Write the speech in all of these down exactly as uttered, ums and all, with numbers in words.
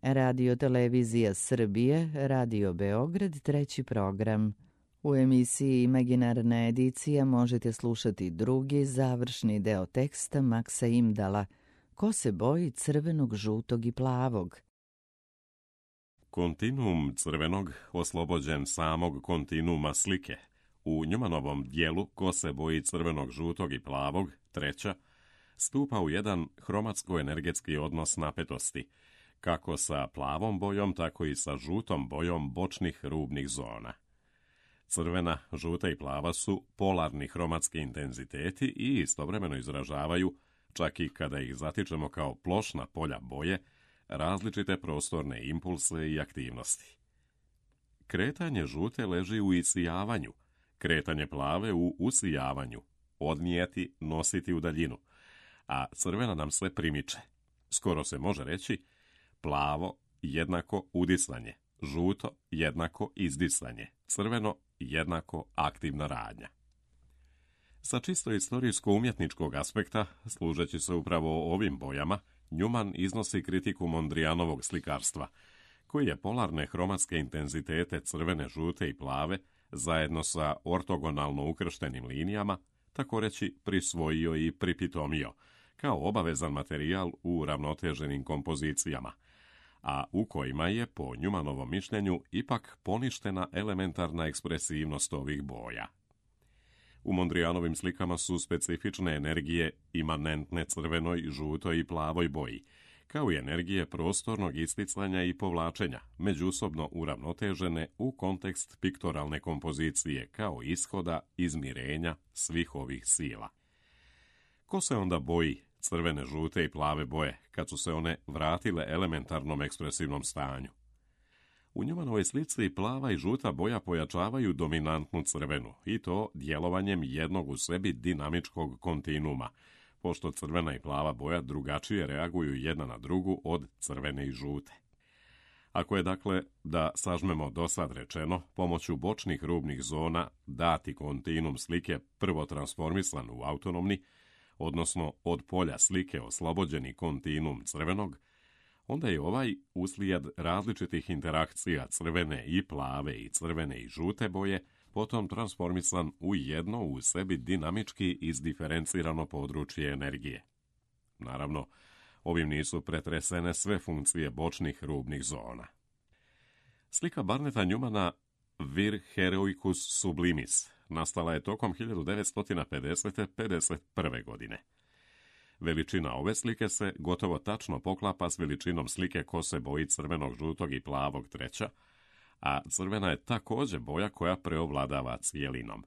Radio Televizija Srbije, Radio Beograd, treći program. U emisiji Imaginarna edicija možete slušati drugi, završni deo teksta Maksa Imdala, Ko se boji crvenog, žutog i plavog. Kontinuum crvenog oslobođen samog kontinuuma slike. U Njumanovom dijelu Ko se boji crvenog, žutog i plavog, treća, stupa u jedan hromatsko-energetski odnos napetosti, kako sa plavom bojom, tako i sa žutom bojom bočnih rubnih zona. Crvena, žuta i plava su polarni hromatski intenziteti i istovremeno izražavaju, čak i kada ih zatičemo kao plošna polja boje, različite prostorne impulse i aktivnosti. Kretanje žute leži u isijavanju, kretanje plave u usijavanju, odnijeti, nositi u daljinu, a crvena nam sve primiče. Skoro se može reći plavo jednako udisanje, žuto jednako izdisanje, crveno jednako aktivna radnja. Sa čisto istorijsko-umjetničkog aspekta, služeći se upravo ovim bojama, Njuman iznosi kritiku Mondrianovog slikarstva, koji je polarne hromatske intenzitete crvene, žute i plave, zajedno sa ortogonalno ukrštenim linijama, tako reći prisvojio i pripitomio, kao obavezan materijal u ravnoteženim kompozicijama, a u kojima je, po Njumanovom mišljenju, ipak poništena elementarna ekspresivnost ovih boja. U Mondrianovim slikama su specifične energije imanentne crvenoj, žutoj i plavoj boji, kao i energije prostornog isticanja i povlačenja, međusobno uravnotežene u kontekst piktoralne kompozicije, kao ishoda izmirenja svih ovih sila. Ko se onda boji crvene, žute i plave boje, kad su se one vratile elementarnom ekspresivnom stanju? U Njumanovoj slici plava i žuta boja pojačavaju dominantnu crvenu, i to djelovanjem jednog u sebi dinamičkog kontinuuma, pošto crvena i plava boja drugačije reaguju jedna na drugu od crvene i žute. Ako je, dakle, da sažmemo dosad rečeno, pomoću bočnih rubnih zona dati kontinuum slike prvo transformisan u autonomni, odnosno od polja slike oslobođeni kontinuum crvenog, onda je ovaj uslijed različitih interakcija crvene i plave i crvene i žute boje potom transformisan u jedno u sebi dinamički izdiferencirano područje energije. Naravno, ovim nisu pretresene sve funkcije bočnih rubnih zona. Slika Barneta Njumana Vir heroicus sublimis nastala je tokom hiljadu devetsto pedeset do pedeset prve. godine. Veličina ove slike se gotovo tačno poklapa s veličinom slike Ko se boji crvenog, žutog i plavog, treća, a crvena je također boja koja preovladava cijelinom.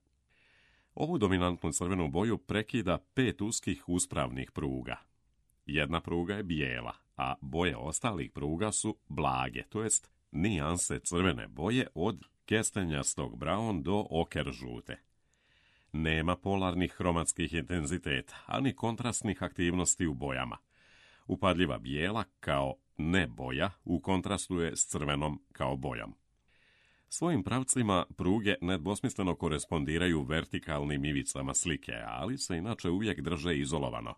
Ovu dominantnu crvenu boju prekida pet uskih uspravnih pruga. Jedna pruga je bijela, a boje ostalih pruga su blage, to jest nijanse crvene boje od kestenjastog braun do oker žute. Nema polarnih hromatskih intenziteta, ani kontrastnih aktivnosti u bojama. Upadljiva bijela kao ne boja u kontrastu je s crvenom kao bojom. Svojim pravcima pruge nedvosmisleno korespondiraju vertikalnim ivicama slike, ali se inače uvijek drže izolovano,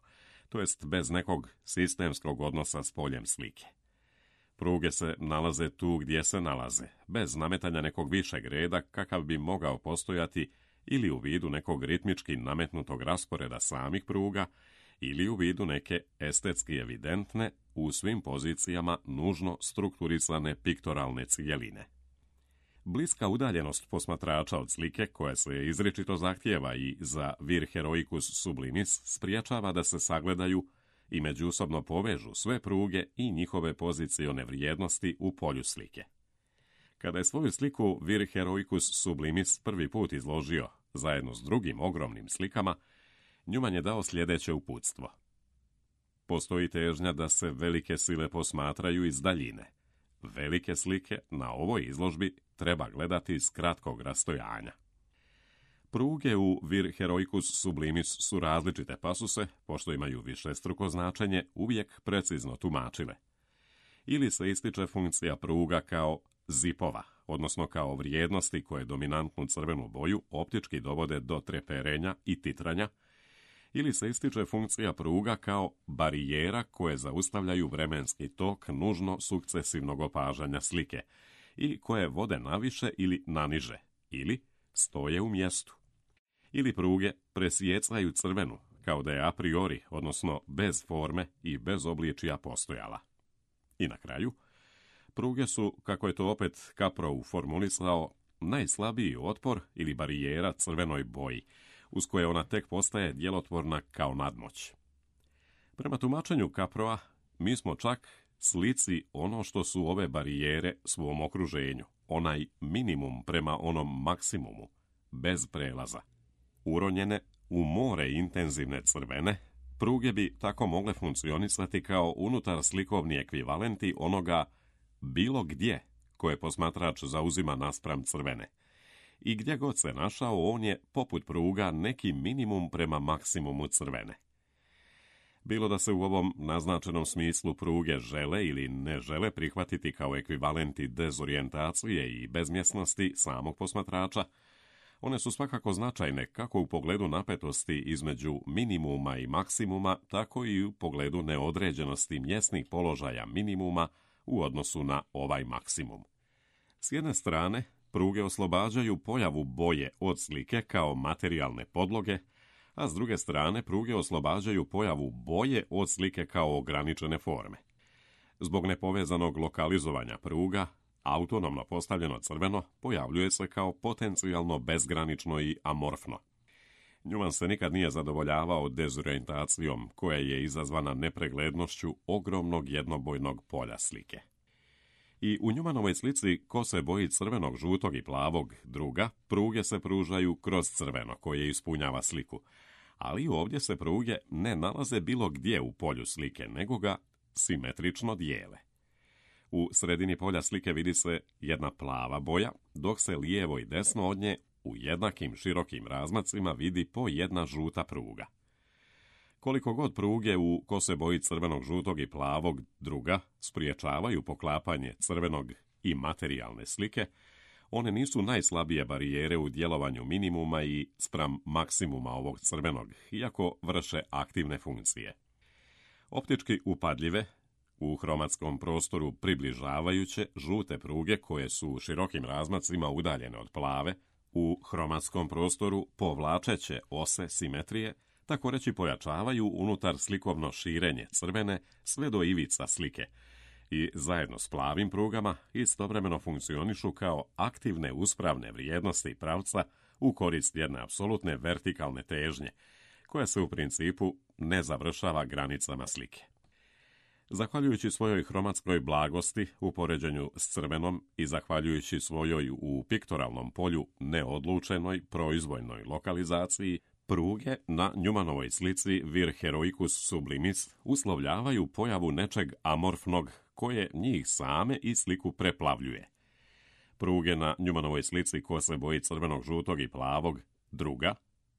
to jest bez nekog sistemskog odnosa s poljem slike. Pruge se nalaze tu gdje se nalaze, bez nametanja nekog višeg reda kakav bi mogao postojati ili u vidu nekog ritmički nametnutog rasporeda samih pruga, ili u vidu neke estetski evidentne, u svim pozicijama nužno strukturisane piktoralne cijeline. Bliska udaljenost posmatrača od slike, koja se izričito zahtijeva i za vir heroicus sublimis, spriječava da se sagledaju i međusobno povežu sve pruge i njihove pozicione vrijednosti u polju slike. Kada je svoju sliku Vir heroicus sublimis prvi put izložio, zajedno s drugim ogromnim slikama, Njuman je dao sljedeće uputstvo. Postoji težnja da se velike sile posmatraju iz daljine. Velike slike na ovoj izložbi treba gledati s kratkog rastojanja. Pruge u Vir heroicus sublimis su različite, pa su se, pošto imaju višestruko značenje, uvijek precizno tumačile. Ili se ističe funkcija pruga kao zipova, odnosno kao vrijednosti koje dominantnu crvenu boju optički dovode do treperenja i titranja, ili se ističe funkcija pruga kao barijera koje zaustavljaju vremenski tok nužno sukcesivnog opažanja slike i koje vode naviše ili naniže, ili stoje u mjestu. Ili pruge presjecaju crvenu, kao da je a priori, odnosno bez forme i bez obličija postojala. I na kraju, pruge su, kako je to opet Caprow formulisao, najslabiji otpor ili barijera crvenoj boji, uz koje ona tek postaje djelotvorna kao nadmoć. Prema tumačenju Caprowa, mi smo čak slici ono što su ove barijere svom okruženju, onaj minimum prema onom maksimumu, bez prelaza. Uronjene u more intenzivne crvene, pruge bi tako mogle funkcionisati kao unutar slikovni ekvivalenti onoga bilo gdje koje posmatrač zauzima naspram crvene. I gdje god se našao, on je, poput pruga, neki minimum prema maksimumu crvene. Bilo da se u ovom naznačenom smislu pruge žele ili ne žele prihvatiti kao ekvivalenti dezorijentacije i bezmjesnosti samog posmatrača, one su svakako značajne kako u pogledu napetosti između minimuma i maksimuma, tako i u pogledu neodređenosti mjesnih položaja minimuma u odnosu na ovaj maksimum. S jedne strane, pruge oslobađaju pojavu boje od slike kao materijalne podloge, a s druge strane pruge oslobađaju pojavu boje od slike kao ograničene forme. Zbog nepovezanog lokalizovanja pruga, autonomno postavljeno crveno pojavljuje se kao potencijalno bezgranično i amorfno. Newman se nikad nije zadovoljavao dezorijentacijom koja je izazvana nepreglednošću ogromnog jednobojnog polja slike. I u Newmanovoj slici ko se boji crvenog, žutog i plavog druga, pruge se pružaju kroz crveno koje ispunjava sliku, ali ovdje se pruge ne nalaze bilo gdje u polju slike, nego ga simetrično dijele. U sredini polja slike vidi se jedna plava boja, dok se lijevo i desno od nje u jednakim širokim razmacima vidi po jedna žuta pruga. Koliko god pruge u ko se boji crvenog, žutog i plavog druga spriječavaju poklapanje crvenog i materijalne slike, one nisu najslabije barijere u djelovanju minimuma i spram maksimuma ovog crvenog, iako vrše aktivne funkcije. Optički upadljive, u hromatskom prostoru približavajuće žute pruge koje su u širokim razmacima udaljene od plave, u hromatskom prostoru povlačeće ose simetrije, tako reći pojačavaju unutar slikovno širenje crvene sve do ivica slike i zajedno s plavim prugama istovremeno funkcionišu kao aktivne uspravne vrijednosti pravca u korist jedne apsolutne vertikalne težnje, koja se u principu ne završava granicama slike. Zahvaljujući svojoj hromatskoj blagosti u poređenju s crvenom i zahvaljujući svojoj u piktoralnom polju neodlučenoj proizvoljnoj lokalizaciji, pruge na Newmanovoj slici Vir heroicus sublimis uslovljavaju pojavu nečeg amorfnog koje njih same i sliku preplavljuje. Pruge na Newmanovoj slici ko se boji crvenog, žutog i plavog druga,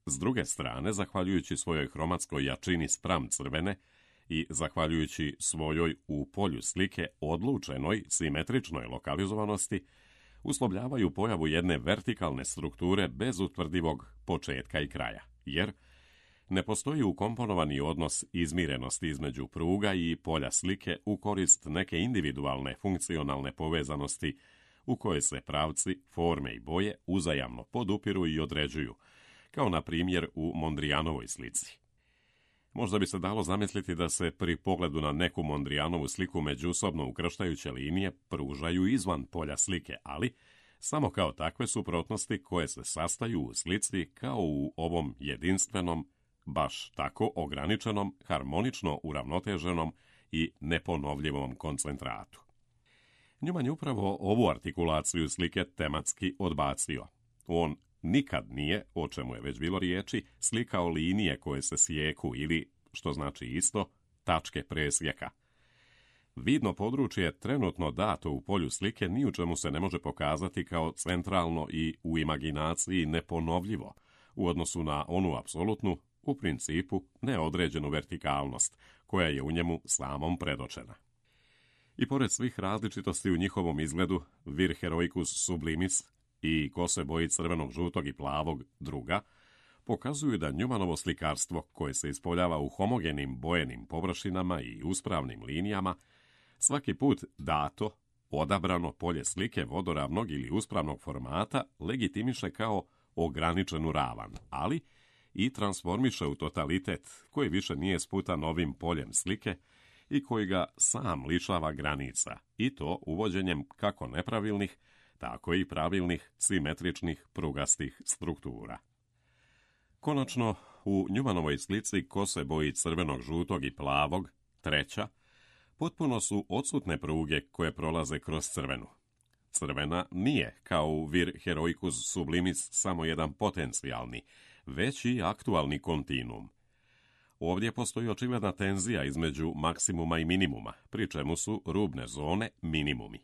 s druge strane, zahvaljujući svojoj hromatskoj jačini spram crvene i zahvaljujući svojoj u polju slike odlučenoj simetričnoj lokalizovanosti, uslovljavaju pojavu jedne vertikalne strukture bez utvrdivog početka i kraja, jer ne postoji ukomponovani odnos izmirenosti između pruga i polja slike u korist neke individualne funkcionalne povezanosti u kojoj se pravci, forme i boje uzajamno podupiru i određuju, kao na primjer u Mondrianovoj slici. Možda bi se dalo zamisliti da se pri pogledu na neku Mondrianovu sliku međusobno ukrštajuće linije pružaju izvan polja slike, ali samo kao takve suprotnosti koje se sastaju u slici kao u ovom jedinstvenom, baš tako ograničenom, harmonično uravnoteženom i neponovljivom koncentratu. Newman je upravo ovu artikulaciju slike tematski odbacio. On nikad nije, o čemu je već bilo riječi, slikao linije koje se sjeku ili, što znači isto, tačke presjeka. Vidno područje trenutno dato u polju slike ni u čemu se ne može pokazati kao centralno i u imaginaciji neponovljivo u odnosu na onu apsolutnu, u principu neodređenu vertikalnost koja je u njemu samom predočena. I pored svih različitosti u njihovom izgledu, Vir heroicus sublimis i ko se boji crvenog, žutog i plavog druga, pokazuju da Newmanovo slikarstvo, koje se ispoljava u homogenim bojenim površinama i uspravnim linijama, svaki put dato, odabrano polje slike vodoravnog ili uspravnog formata legitimiše kao ograničenu ravan, ali i transformiše u totalitet koji više nije sputan novim poljem slike i koji ga sam lišava granica, i to uvođenjem kako nepravilnih, tako i pravilnih, simetričnih, prugastih struktura. Konačno, u Newmanovoj slici kose boji crvenog, žutog i plavog, treća, potpuno su odsutne pruge koje prolaze kroz crvenu. Crvena nije, kao u vir heroicus sublimis, samo jedan potencijalni, već i aktualni kontinuum. Ovdje postoji očigledna tenzija između maksimuma i minimuma, pri čemu su rubne zone minimumi.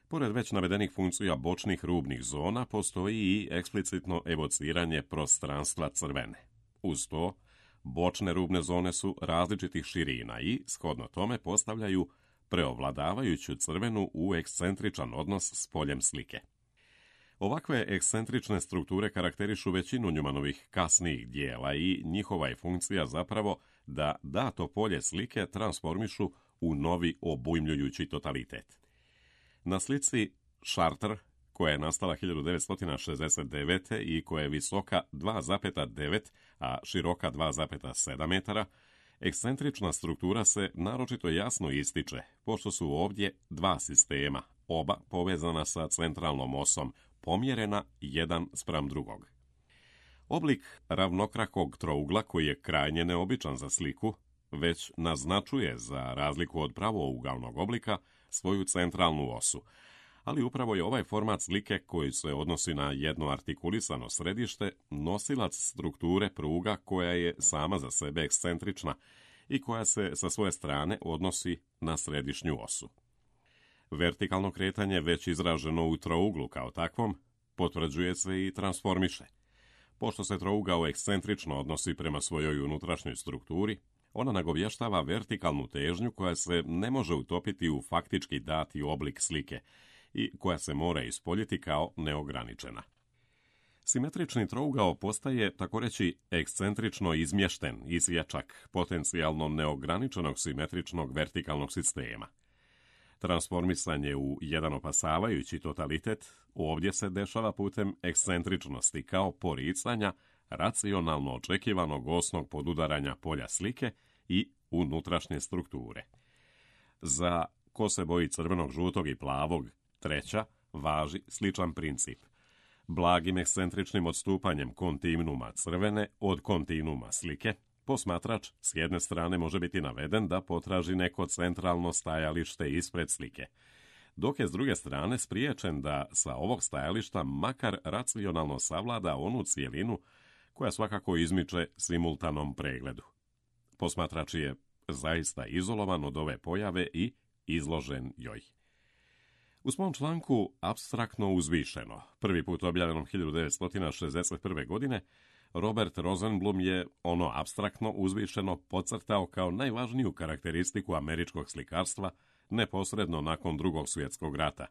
Pored već navedenih funkcija bočnih rubnih zona, postoji i eksplicitno evociranje prostranstva crvene. Uz to, bočne rubne zone su različitih širina i, shodno tome, postavljaju preovladavajuću crvenu u ekscentričan odnos s poljem slike. Ovakve ekscentrične strukture karakterišu većinu Newmanovih kasnijih dijela i njihova je funkcija zapravo da dato polje slike transformišu u novi obujmljujući totalitet. Na slici Chartres, koja je nastala hiljadu devetsto šezdeset devete i koja je visoka dva zarez devet, a široka dva zarez sedam metara, ekscentrična struktura se naročito jasno ističe, pošto su ovdje dva sistema, oba povezana sa centralnom osom, pomjerena jedan spram drugog. Oblik ravnokrakog trougla, koji je krajnje neobičan za sliku, već naznačuje, za razliku od pravougalnog oblika, svoju centralnu osu, ali upravo je ovaj format slike, koji se odnosi na jedno artikulisano središte, nosilac strukture pruga koja je sama za sebe ekscentrična i koja se sa svoje strane odnosi na središnju osu. Vertikalno kretanje, već izraženo u trouglu kao takvom, potvrđuje se i transformiše. Pošto se trougao ekscentrično odnosi prema svojoj unutrašnjoj strukturi, ona nagovještava vertikalnu težnju koja se ne može utopiti u faktički dati oblik slike i koja se mora ispoljiti kao neograničena. Simetrični trougao postaje, tako reći, ekscentrično izmješten isječak potencijalno neograničenog simetričnog vertikalnog sistema. Transformisanje u jedan opasavajući totalitet ovdje se dešava putem ekscentričnosti kao poricanja racionalno očekivanog osnog podudaranja polja slike i unutrašnje strukture. Za kose boji crvenog, žutog i plavog, treća, važi sličan princip. Blagim ekscentričnim odstupanjem kontinuuma crvene od kontinuuma slike, posmatrač s jedne strane može biti naveden da potraži neko centralno stajalište ispred slike, dok je s druge strane spriječen da sa ovog stajališta makar racionalno savlada onu cijelinu koja svakako izmiče simultanom pregledu. Posmatrač je zaista izolovan od ove pojave i izložen joj. U svom članku Apstraktno uzvišeno, prvi put objavljenom hiljadu devetsto šezdeset prve. godine, Robert Rosenblum je ono apstraktno uzvišeno podcrtao kao najvažniju karakteristiku američkog slikarstva neposredno nakon Drugog svjetskog rata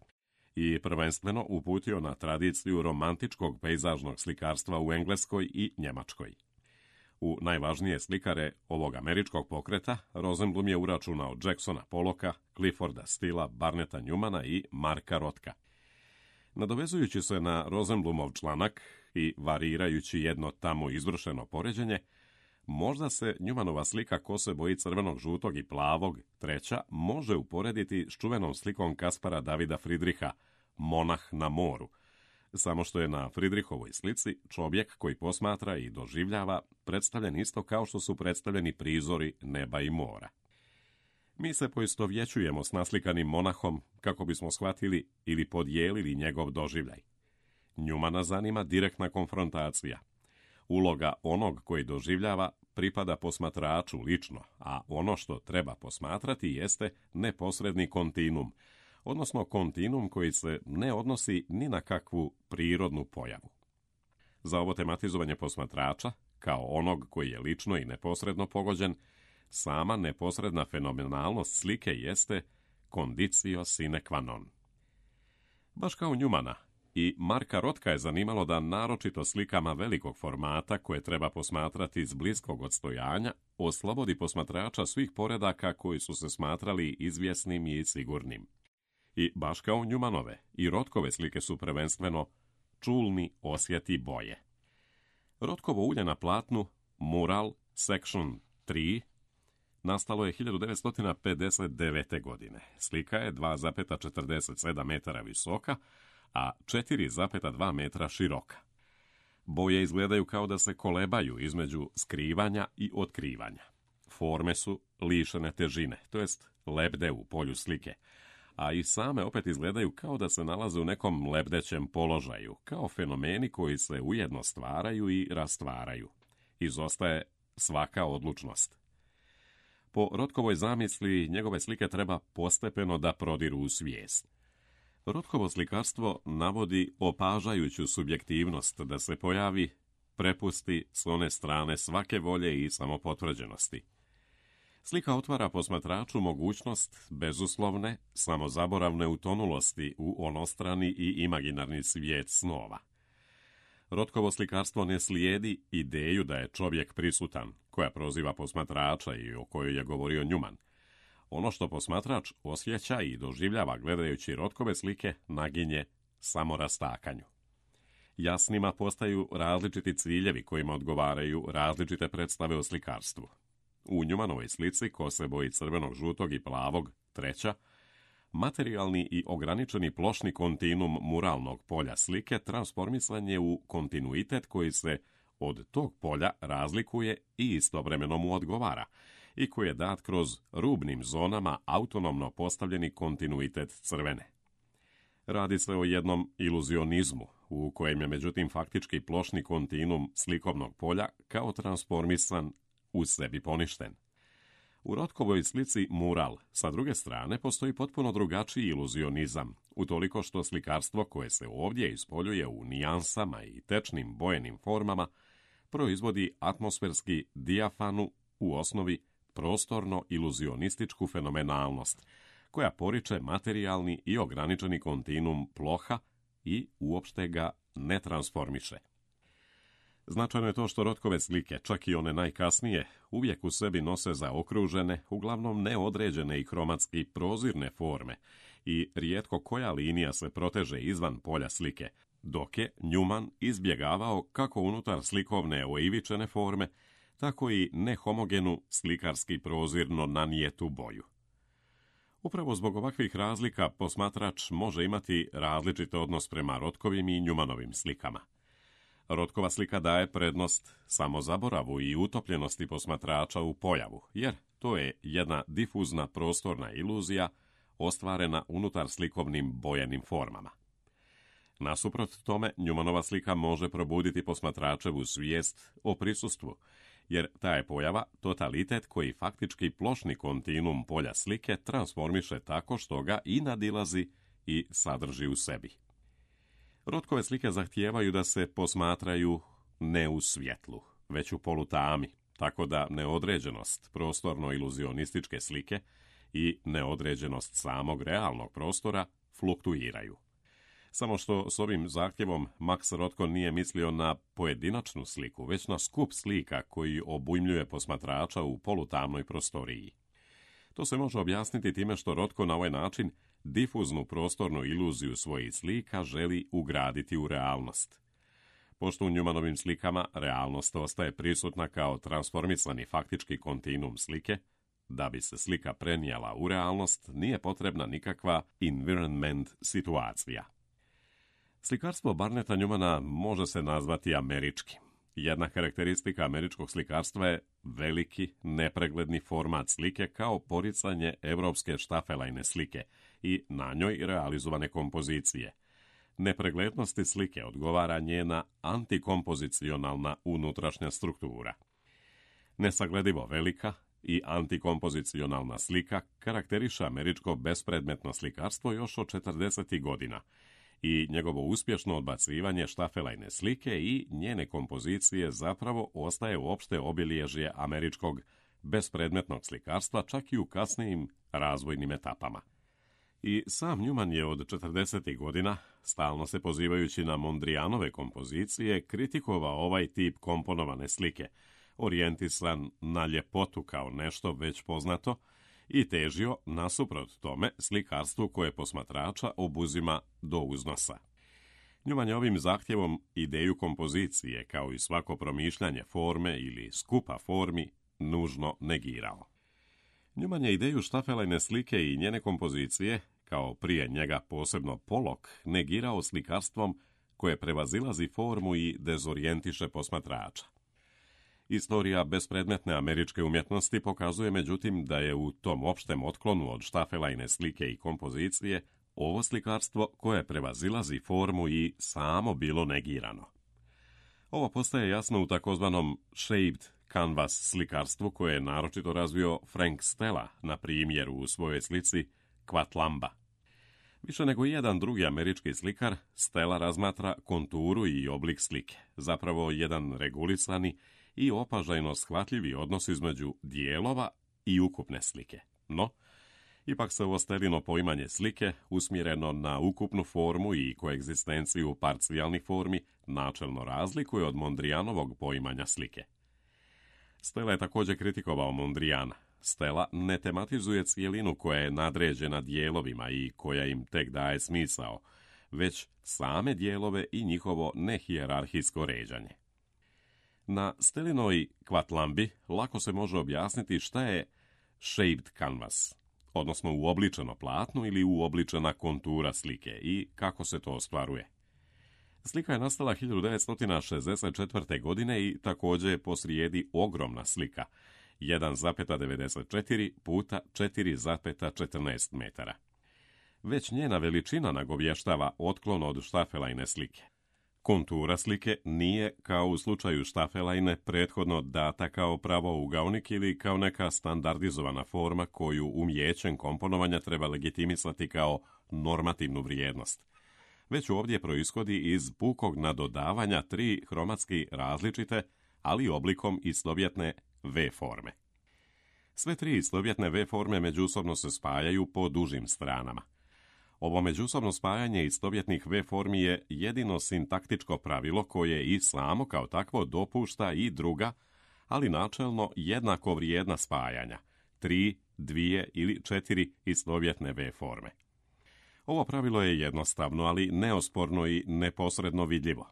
i prvenstveno uputio na tradiciju romantičkog pejzažnog slikarstva u Engleskoj i Njemačkoj. U najvažnije slikare ovog američkog pokreta Rosenblum je uračunao Jacksona Pollocka, Clifforda Stilla, Barneta Newmana i Marka Rothka. Nadovezujući se na Rosenblumov članak i varirajući jedno tamo izvršeno poređenje, možda se Newmanova slika kose boji crvenog, žutog i plavog, treća, može uporediti s čuvenom slikom Kaspara Davida Friedricha, Monah na moru, samo što je na Friedrichovoj slici čovjek koji posmatra i doživljava predstavljen isto kao što su predstavljeni prizori neba i mora. Mi se poistovjećujemo s naslikanim monahom kako bismo shvatili ili podijelili njegov doživljaj. Newmana zanima direktna konfrontacija. Uloga onog koji doživljava pripada posmatraču lično, a ono što treba posmatrati jeste neposredni kontinuum, odnosno kontinuum koji se ne odnosi ni na kakvu prirodnu pojavu. Za ovo tematizovanje posmatrača, kao onog koji je lično i neposredno pogođen, sama neposredna fenomenalnost slike jeste condicio sine qua non. Baš kao Newmana, I Marka Rotka je zanimalo da naročito slikama velikog formata, koje treba posmatrati iz bliskog odstojanja, oslobodi posmatrača svih poredaka koji su se smatrali izvjesnim i sigurnim. I baš kao Newmanove, i Rotkove slike su prvenstveno čulni osjeti boje. Rotkovo ulje na platnu Mural Section tri nastalo je hiljadu devetsto pedeset devete. godine. Slika je dva zarez četrdeset sedam metara visoka, a četiri zarez dva metra široka. Boje izgledaju kao da se kolebaju između skrivanja i otkrivanja. Forme su lišene težine, to jest lebde u polju slike, a i same opet izgledaju kao da se nalaze u nekom lebdećem položaju, kao fenomeni koji se ujedno stvaraju i rastvaraju. Izostaje svaka odlučnost. Po Rotkovoj zamisli, njegove slike treba postepeno da prodiru u svijest. Rotkovo slikarstvo navodi opažajuću subjektivnost da se pojavi, prepusti s one strane svake volje i samopotvrđenosti. Slika otvara posmatraču mogućnost bezuslovne, samozaboravne utonulosti u onostrani i imaginarni svijet snova. Rotkovo slikarstvo ne slijedi ideju da je čovjek prisutan, koja proziva posmatrača i o kojoj je govorio Newman. Ono što posmatrač osjeća i doživljava gledajući Rotkove slike naginje samorastakanju. Jasnima postaju različiti ciljevi kojima odgovaraju različite predstave o slikarstvu. U Newmanovoj slici Kose boji crvenog, žutog i plavog, treća, materijalni i ograničeni plošni kontinuum muralnog polja slike transformisan je u kontinuitet koji se od tog polja razlikuje i istovremeno mu odgovara, i koji je dat kroz rubnim zonama autonomno postavljeni kontinuitet crvene. Radi se o jednom iluzionizmu, u kojem je međutim faktički plošni kontinuum slikovnog polja kao transformisan u sebi poništen. U Rotkovoj slici Mural, sa druge strane, postoji potpuno drugačiji iluzionizam, utoliko što slikarstvo koje se ovdje ispoljuje u nijansama i tečnim bojenim formama proizvodi atmosferski dijafanu, u osnovi prostorno-iluzionističku fenomenalnost, koja poriče materijalni i ograničeni kontinuum ploha i uopšte ga ne transformiše. Značajno je to što Rotkove slike, čak i one najkasnije, uvijek u sebi nose zaokružene, uglavnom neodređene i hromatski prozirne forme i rijetko koja linija se proteže izvan polja slike, dok je Newman izbjegavao kako unutar slikovne oivičene forme, tako i nehomogenu slikarski prozirno nanijetu boju. Upravo zbog ovakvih razlika posmatrač može imati različit odnos prema Rotkovim i Newmanovim slikama. Rotkova slika daje prednost samozaboravu i utopljenosti posmatrača u pojavu, jer to je jedna difuzna prostorna iluzija ostvarena unutar slikovnim bojenim formama. Nasuprot tome, Newmanova slika može probuditi posmatračevu svijest o prisustvu, jer ta je pojava totalitet koji faktički plošni kontinuum polja slike transformiše tako što ga i nadilazi i sadrži u sebi. Rotkove slike zahtijevaju da se posmatraju ne u svjetlu, već u polutami, tako da neodređenost prostorno-iluzionističke slike i neodređenost samog realnog prostora fluktuiraju. Samo što s ovim zahtjevom Max Rothko nije mislio na pojedinačnu sliku, već na skup slika koji obujmljuje posmatrača u polutamnoj prostoriji. To se može objasniti time što Rothko na ovaj način difuznu prostornu iluziju svojih slika želi ugraditi u realnost. Pošto u Newmanovim slikama realnost ostaje prisutna kao transformisani faktički kontinuum slike, da bi se slika prenijela u realnost, nije potrebna nikakva environment situacija. Slikarstvo Barneta Newmana može se nazvati američki. Jedna karakteristika američkog slikarstva je veliki, nepregledni format slike kao poricanje evropske štafelajne slike i na njoj realizovane kompozicije. Nepreglednosti slike odgovara njena antikompozicionalna unutrašnja struktura. Nesagledivo velika i antikompozicionalna slika karakteriše američko bespredmetno slikarstvo još od četrdesetih godina i njegovo uspješno odbacivanje štafelajne slike i njene kompozicije zapravo ostaje uopšte obilježje američkog bespredmetnog slikarstva čak i u kasnijim razvojnim etapama. I sam Newman je od četrdesetih godina, stalno se pozivajući na Mondrianove kompozicije, kritikovao ovaj tip komponovane slike, orijentisan na ljepotu kao nešto već poznato i težio, nasuprot tome, slikarstvu koje posmatrača obuzima do uznosa. Newman je ovim zahtjevom ideju kompozicije, kao i svako promišljanje forme ili skupa formi, nužno negirao. Newman je ideju štafelajne slike i njene kompozicije, kao prije njega posebno Pollock, negirao slikarstvom koje prevazilazi formu i dezorijentiše posmatrača. Istorija bespredmetne američke umjetnosti pokazuje međutim da je u tom opštem otklonu od štafelajne slike i kompozicije ovo slikarstvo koje prevazilazi formu i samo bilo negirano. Ovo postaje jasno u takozvanom shaped canvas slikarstvu koje je naročito razvio Frank Stella, na primjer u svojoj slici Quatlamba. Više nego jedan drugi američki slikar, Stella razmatra konturu i oblik slike, zapravo jedan regulisani i opažajno shvatljivi odnos između dijelova i ukupne slike. No, ipak se ovo Stellino poimanje slike, usmjereno na ukupnu formu i koegzistenciju parcijalnih formi, načelno razlikuje od Mondrianovog poimanja slike. Stella je također kritikovao Mondriana. Stella ne tematizuje cijelinu koja je nadređena dijelovima i koja im tek daje smisao, već same dijelove i njihovo nehijerarhijsko ređanje. Na Stellinoj Quatlambi lako se može objasniti šta je shaped canvas, odnosno uobličeno platno ili uobličena kontura slike i kako se to ostvaruje. Slika je nastala hiljadu devetsto šezdeset četvrte. godine i također je posrijedi ogromna slika, jedan zarez devedeset četiri puta četiri zarez četrnaest metara. Već njena veličina nagovještava otklon od štafelajne slike. Kontura slike nije, kao u slučaju štafelajne, prethodno data kao pravougaonik ili kao neka standardizovana forma koju umjećem komponovanja treba legitimisati kao normativnu vrijednost. Već ovdje proishodi iz pukog nadodavanja tri hromatski različite, ali oblikom istovjetne V forme. Sve tri istovjetne V forme međusobno se spajaju po dužim stranama. Ovo međusobno spajanje istovjetnih V formi je jedino sintaktičko pravilo koje i samo kao takvo dopušta i druga, ali načelno jednako vrijedna spajanja, tri, dvije ili četiri istovjetne V forme. Ovo pravilo je jednostavno, ali neosporno i neposredno vidljivo.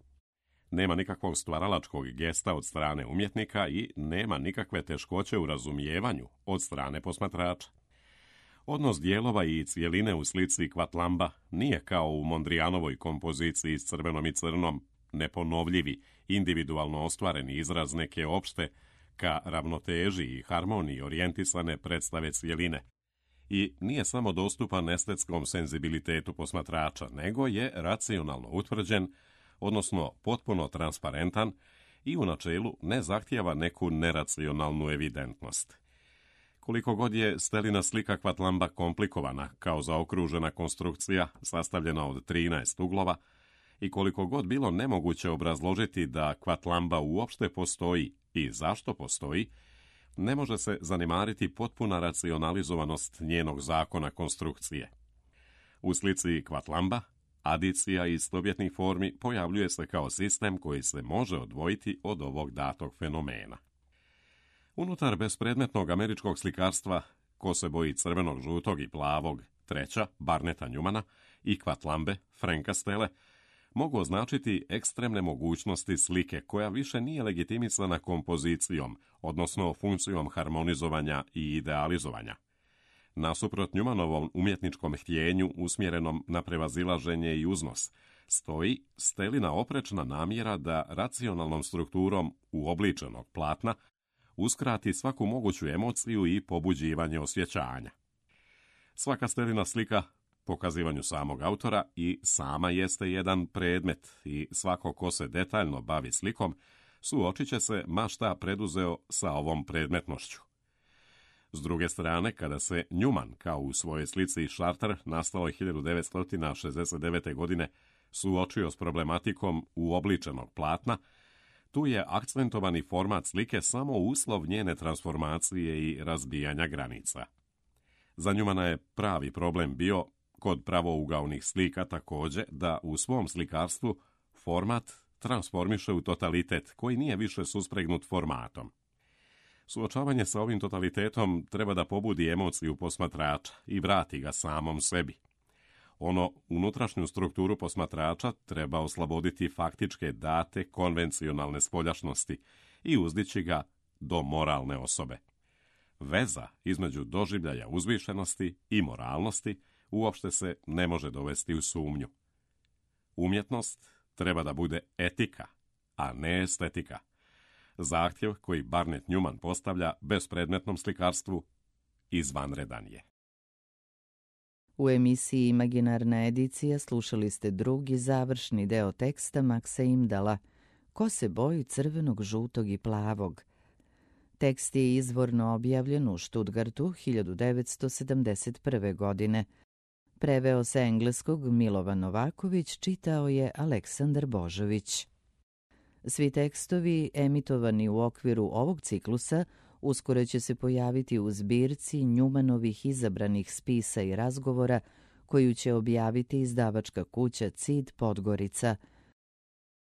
Nema nikakvog stvaralačkog gesta od strane umjetnika i nema nikakve teškoće u razumijevanju od strane posmatrača. Odnos dijelova i cijeline u slici Quatlamba nije kao u Mondrianovoj kompoziciji s crvenom i crnom, neponovljivi, individualno ostvareni izraz neke opšte, ka ravnoteži i harmoniji orijentisane predstave cijeline. I nije samo dostupan estetskom senzibilitetu posmatrača, nego je racionalno utvrđen, odnosno potpuno transparentan i u načelu ne zahtijeva neku neracionalnu evidentnost. Koliko god je Stellina slika Quatlamba komplikovana kao zaokružena konstrukcija sastavljena od trinaest uglova i koliko god bilo nemoguće obrazložiti da Quatlamba uopšte postoji i zašto postoji, ne može se zanemariti potpuna racionalizovanost njenog zakona konstrukcije. U slici Quatlamba adicija istovjetnih formi pojavljuje se kao sistem koji se može odvojiti od ovog datog fenomena. Unutar bespredmetnog američkog slikarstva, ko se boji crvenog, žutog i plavog, treća, Barneta Newmana i Quatlambe, Franka Stelle, mogu označiti ekstremne mogućnosti slike koja više nije legitimisana kompozicijom, odnosno funkcijom harmonizovanja i idealizovanja. Nasuprot Newmanovom umjetničkom htjenju usmjerenom na prevazilaženje i uznos, stoji Stellina oprečna namjera da racionalnom strukturom uobličenog platna uskrati svaku moguću emociju i pobuđivanje osjećanja. Svaka Stellina slika, pokazivanju samog autora, i sama jeste jedan predmet i svako ko se detaljno bavi slikom, suočit će se ma šta preduzeo sa ovom predmetnošću. S druge strane, kada se Newman, kao u svojoj slici Charter, nastalo hiljadu devetsto šezdeset devete. godine, suočio s problematikom uobličenog platna, tu je akcentovani format slike samo uslov njene transformacije i razbijanja granica. Za Newmana je pravi problem bio kod pravougaonih slika također da u svom slikarstvu format transformiše u totalitet koji nije više suspregnut formatom. Suočavanje sa ovim totalitetom treba da pobudi emociju posmatrača i vrati ga samom sebi. Ono unutrašnju strukturu posmatrača treba osloboditi faktičke date konvencionalne spoljašnosti i uzdići ga do moralne osobe. Veza između doživljaja uzvišenosti i moralnosti uopšte se ne može dovesti u sumnju. Umjetnost treba da bude etika, a ne estetika. Zahtjev koji Barnett Newman postavlja bespredmetnom slikarstvu izvanredan je. U emisiji Imaginarna edicija slušali ste drugi završni deo teksta Maxa Imdala Ko se boji crvenog, žutog i plavog. Tekst je izvorno objavljen u Stuttgartu hiljadu devetsto sedamdeset prve. godine. Preveo sa engleskog Milovan Novaković, čitao je Aleksandar Božović. Svi tekstovi emitovani u okviru ovog ciklusa uskoro će se pojaviti u zbirci Njumanovih izabranih spisa i razgovora koju će objaviti izdavačka kuća C I D Podgorica –